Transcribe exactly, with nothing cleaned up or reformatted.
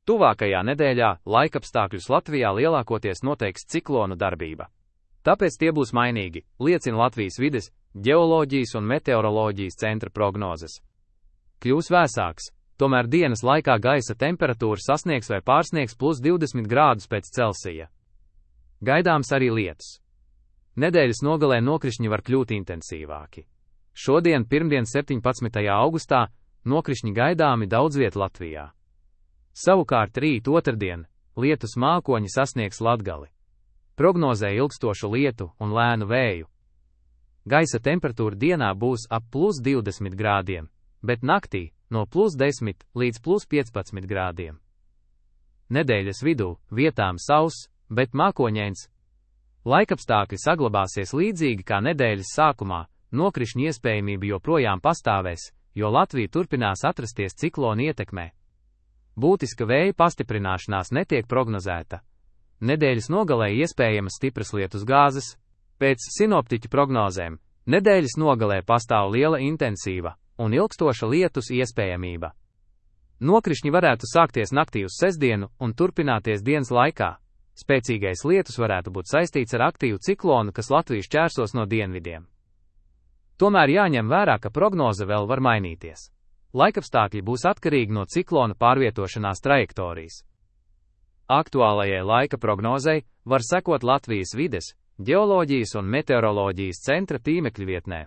Tuvākajā nedēļā laikapstākļus Latvijā lielākoties noteiks ciklonu darbība. Tāpēc tie būs mainīgi, liecina Latvijas vides, ģeoloģijas un meteoroloģijas centra prognozes. Kļūs vēsāks, tomēr dienas laikā gaisa temperatūra sasniegs vai pārsniegs plus divdesmit grādus pēc Celsija. Gaidāms arī lietus. Nedēļas nogalē nokrišņi var kļūt intensīvāki. Šodien, pirmdien, septiņpadsmitajā augustā, nokrišņi gaidāmi daudz viet Latvijā. Savukārt rīt otrdien, lietus mākoņi sasniegs Latgali. Prognozē ilgstošu lietu un lēnu vēju. Gaisa temperatūra dienā būs ap plus divdesmit grādiem, bet naktī no plus desmit līdz plus piecpadsmit grādiem. Nedēļas vidū vietām sauss, bet mākoņains. Laikapstākļi saglabāsies līdzīgi kā nedēļas sākumā, nokrišņu iespējamība joprojām pastāvēs, jo Latvija turpinās atrasties ciklona ietekmē. Būtiska vēja pastiprināšanās netiek prognozēta. Nedēļas nogalē iespējamas stipras lietus gāzes. Pēc sinoptiķu prognozēm, nedēļas nogalē pastāv liela intensīva un ilgstoša lietus iespējamība. Nokrišņi varētu sākties naktī uz sestdienu un turpināties dienas laikā. Spēcīgais lietus varētu būt saistīts ar aktīvu ciklonu, kas Latviju šķērsos no dienvidiem. Tomēr jāņem vērā, ka prognoze vēl var mainīties. Laikapstākļi būs atkarīgi no ciklona pārvietošanās trajektorijas. Aktuālajai laika prognozei var sekot Latvijas vides, ģeoloģijas un meteoroloģijas centra tīmekļa vietnē.